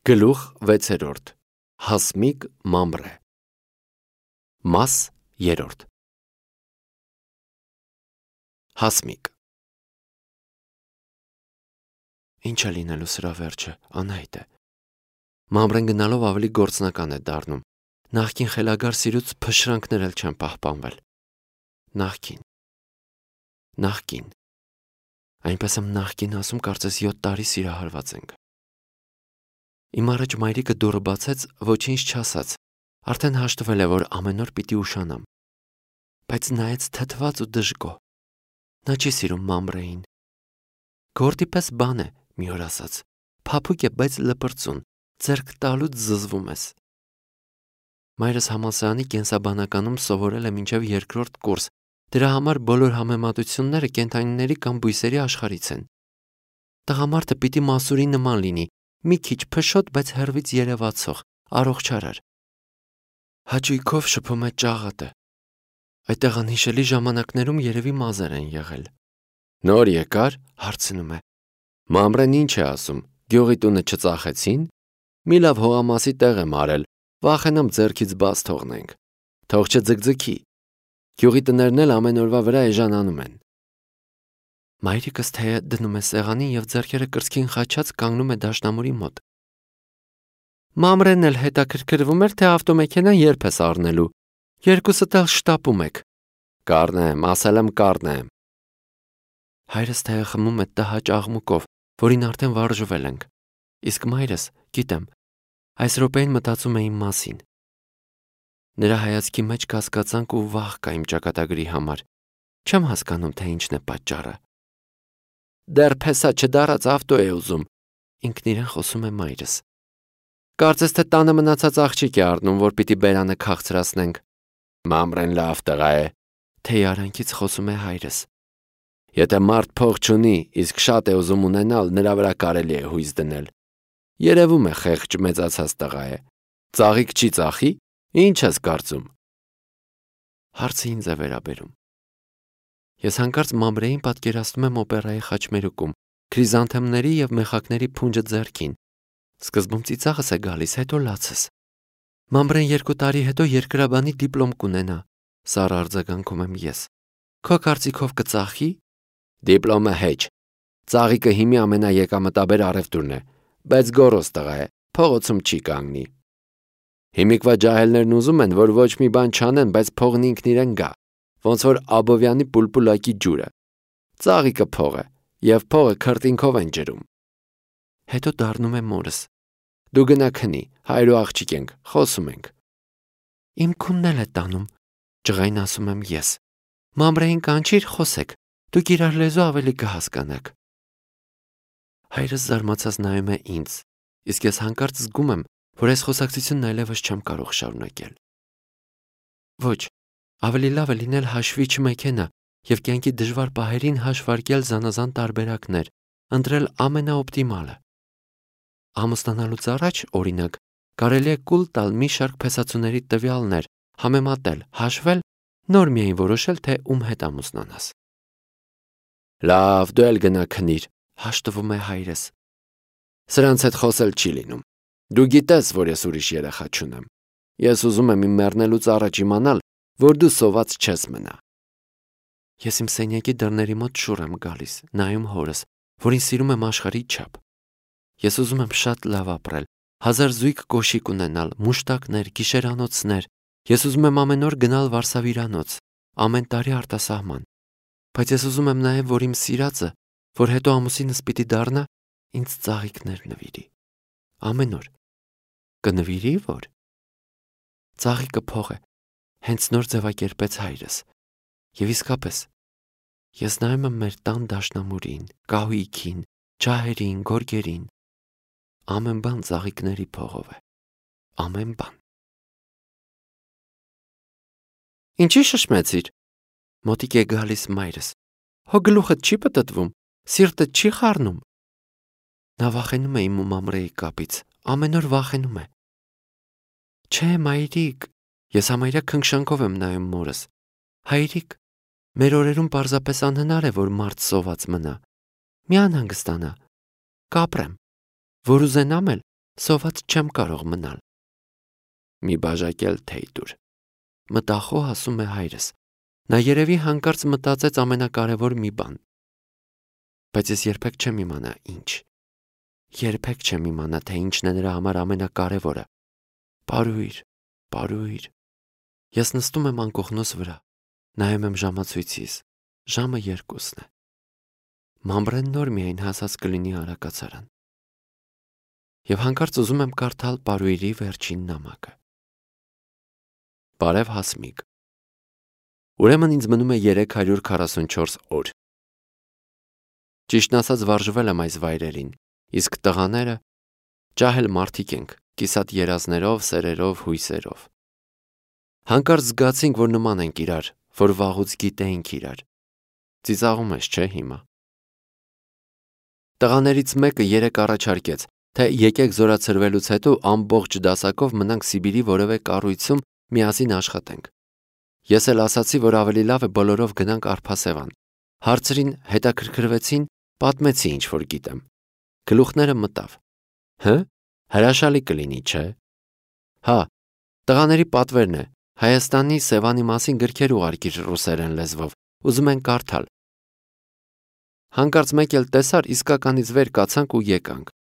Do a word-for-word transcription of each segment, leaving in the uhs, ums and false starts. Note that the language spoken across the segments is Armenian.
Գլուխ վեցերորդ Հասմիկ Մամրե Մաս երրորդ Հասմիկ Ինչ է լինելու սրա վերջը, անհայտ է։ Մամրեն գնալով ավելի գործնական է դառնում։ Նախքին խելագար սիրուց փշրանքներ էլ չեն պահպանվել։ Նախքին Նախքին Այնպես եմ նախքին ասում, կարծես յոթ տարի սիրահարված ենք։ Իմ առաջ մայրիկը դուռը բացեց, ոչինչ չասաց, արդեն հաշտվել է, որ ամեն օր պիտի ուշանամ, բայց նայեց թթված ու դժգոհ։ Նա չի սիրում Մամրեին։ Գործի պես բան է, մի օր ասաց, փափուկ է, բայց լպրծուն, ձեռք տալուց զզվում ես։ Մայրս համալսարանի կենսաբանականում սովորել է մինչև երկրորդ կուրս, դրա համար բոլոր համեմատությունները կենդանիների կամ բույսերի աշխարհից են։ Տղամարդը պիտի մասուրի նման լինի, մի քիչ փշոտ, բայց հեռվից երևացող, առողջարար։ Հաճույքով շփում է ճաղատը։ Այդտեղ անհիշելի ժամանակներում երևի մազեր են եղել։ Նոր եկար, հարցնում է։ Մամրեն ինչ է ասում, գյուղի տունը չծախեցին։ Մի լավ հողամասի տեղ եմ արել, վախենամ ձեռքից բաց թողնենք։ Թող չձգձգի։ Գյուղի տներն էլ ամեն օրվա վրա էժանանում են։ Մայրիկս թեյը դնում է սեղանին և ձեռքերը կրծքին խաչած կանգնում է դաշնամուրի մոտ։ Մամրեն էլ հետաքրքրվում էր, թե ավտոմեքենան երբ ես առնելու։ Երկուսդ էլ շտապում եք։ Կառնեմ, ասել եմ կառնեմ։ Հայրս թեյը խմում է տհաճ աղմուկով, որին արդեն վարժվել ենք։ Իսկ մայրս, գիտեմ, այս րոպեին մտածում է իմ մասին։ Նրա հայացքի մեջ կասկածանք ու վախ կա իմ ճակատագրի համար։ Չեմ հասկանում, թե ինչն է պատճառը։ Դեռ փեսա չդարած ավտո է ուզում, ինքն իրեն խոսում է մայրս։ Կարծես թե տանը մնացած աղջիկ է առնում, որ պիտի բերանը քաղցրացնենք։ Մամրեն լավ տղա է, թեյ արանքից խոսում է հայրս։ Եթե մարդ փող չունի, իսկ շատ է ուզում ունենալ, նրա վրա կարելի է հույս դնել։ Երևում է խեղճ մեծացած տղա է։ Ծաղիկ չի ծախի, ինչ ես կարծում։ Հարցը ինձ է վերաբերում։ Ես հանկարծ Մամրեին պատկերացնում եմ օպերայի խաչմերուկում, քրիզանթեմների և մեխակների փունջը ձեռքին։ Սկզբում ծիծաղս է գալիս, հետո լացս։ Մամրեն երկու տարի հետո երկրաբանի դիպլոմ կունենա, սառը արձագանքում եմ ես։ Քո կարծիքով կծախի։ Դիպլոմը հեչ։ Ծաղիկը հիմի ամենաեկամտաբեր առևտուրն է, բայց գոռոզ տղա է, փողոցում չի կանգնի։ Հիմիկվա ջահելներն ուզում են, որ ոչ մի բան չանեն, բայց փողն ինքն իրեն գա, ոնց որ Աբովյանի պուլպուլակի ջուրը։ Ծաղիկը փող է, և փողը քրտինքով են ջրում։ Հետո դառնում է մորս։ Դու գնա քնի, հայր ու աղջիկ ենք, խոսում ենք։ Իմ քունն էլ է տանում, ջղայն ասում եմ ես։ Մամրեին կանչիր, խոսեք, դուք իրար լեզու ավելի կհասկանաք։ Հայրս զարմացած նայում է ինձ, իսկ ես հանկարծ զգում եմ, որ այս խոսակցությունն այլևս չեմ կարող շարունակել։ Ոչ, ավելի լավ է լինել հաշվիչ մեքենա և կյանքի դժվար պահերին հաշվարկել զանազան տարբերակներ, ընտրել ամենաօպտիմալը։ Ամուսնանալուց առաջ, օրինակ, կարելի է կուլ տալ մի շարք փեսացուների տվյալներ, համեմատել, հաշվել, նոր միայն որոշել, թե ում հետ ամուսնանաս։ Լավ, դու էլ գնա քնիր, հաշտվում է հայրս։ Սրանց հետ խոսել չի լինում։ Դու գիտես, որ ես ուրիշ երեխա չունեմ։ Ես ուզում եմ իմ մեռնելուց առաջ իմանալ, որ դու սոված չես մնա։ Ես իմ սենյակի դռների մոտ շուռ եմ գալիս, նայում հորս, որին սիրում եմ աշխարհի չափ։ Ես ուզում եմ շատ լավ ապրել, հազար զույգ կոշիկ ունենալ, մուշտակներ, գիշերանոցներ։ Ես ուզում եմ ամեն օր գնալ վարսավիրանոց, ամեն տարի արտասահման։ Բայց ես ուզում եմ նաև, որ իմ սիրածը, որ հետո ամուսինս պիտի դառնա, ինձ ծաղիկներ նվիրի։ Ամեն օր։ Կնվիրի, որ։ Ծաղիկը փող է, հենց նոր ձևակերպեց հայրս։ Եվ իսկապես, ես նայում եմ մեր տան դաշնամուրին, կահույքին, ջահերին, գորգերին։ Ամեն բան ծաղիկների փողով է։ Ամեն բան։ Ինչի շշմեցիր։ Մոտիկ է գալիս մայրս։ Հո գլուխդ չի պտտվում, սիրտդ չի խառնում։ Նա վախենում է իմ ու Մամրեի կապից, ամեն օր վախենում է։ Չէ, մայրիկ, ես համարյա քնքշանքով եմ նայում մորս։ Հայրիկ, մեր օրերում պարզապես անհնար է, որ մարդ սոված մնա։ Մի անհանգստանա, կապրեմ, որ ուզենամ էլ, Սոված չեմ կարող մնալ։ Մի բաժակել թեյ տուր, մտախոհ ասում է հայրս։ Նա երևի հանկարծ մտածեց ամենակարևոր մի բան։ Բայց ես երբեք չեմ իմանա ինչ։ Երբեք չեմ իմանա, թե ինչն է նրա համար ամենակարևորը։ Պարույր, պարույր։ Ես նստում եմ անկողնոս վրա, նայում եմ ժամացույցիս, ժամը երկուսն է։ Մամբրեն նոր միայն հասած կլինի արակացարան։ Եվ հանկարծ ուզում եմ կարդալ պարույրի վերջին նամակը։ Բարև Հասմիկ։ Ուրեմն ինձ մնում է երեք հարյուր քառասունչորս օր։ Ճիշտն ասած վարժվել եմ այս վայրերին, իսկ տղաները ջահել մարդիկ ենք, կիսատ երազներով, սերերով, հույսերով։ Հանկարծ զգացինք, որ նման ենք իրար, որ վաղուց գիտեինք իրար։ Ծիծաղում ես, չէ՞ հիմա։ Տղաներից մեկը երեք առաջարկեց, թե եկեք զորացրվելուց հետո ամբողջ դասակով մնանք Սիբիրի որևէ կառույցում միասին աշխատենք։ Ես էլ ասացի, որ ավելի լավ է բոլորով գնանք Արփասևան։ Հարցրին, հետաքրքրվեցին, պատմեցի ինչ որ գիտեմ։ Գլուխները մտավ։ Հը՞, հրաշալի կլինի, չէ՞։ Հա, տղաների պատվերն է, Հայաստանի Սևանի մասին գրքեր ուղարկիր ռուսերեն լեզվով, ուզում են կարդալ։ Հանկարծ մեկ էլ տեսար, իսկականից վեր կացանք ու եկանք։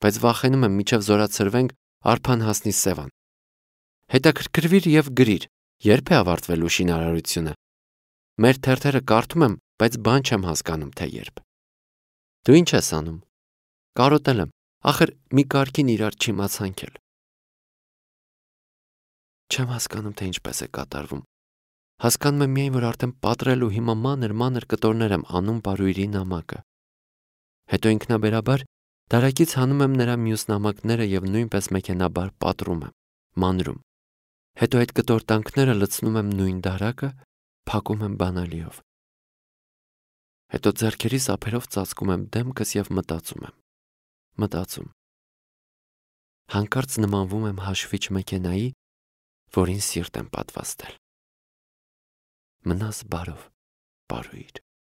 Բայց վախենում եմ միջև զորացրվենք Արփան հասնի Սևան։ Հետաքրքրվիր եւ գրիր, երբ է ավարտվելու շինարարությունը։ Մեր թերթերը կարդում եմ, բայց բան չեմ հասկանում, թե երբ։ Դու ինչ ես անում։ Կարոտել եմ, ախր մի կարգին իրար չիմացանք էլ։ Չեմ հասկանում, թե ինչպես է կատարվում։ Հասկանում եմ միայն, որ արդեն պատրելու հիմա մանր-մանր կտորներ եմ անում պարույրի նամակը։ Հետո ինքնաբերաբար դարակից հանում եմ նրա մյուս նամակները եւ նույնպես մեքենաբար պատռում եմ, մանրում։ Հետո այդ կտորտանքները լցնում եմ նույն դարակը, փակում եմ բանալիով։ Հետո ձեռքերիս ափերով ծածկում եմ դեմքս եւ մտածում եմ։ Մտածում։ Հանկարծ նմանվում եմ հաշվիչ մեքենայի, որին սիրտ եմ պատվաստել։ Մնաս բարով, պարույր։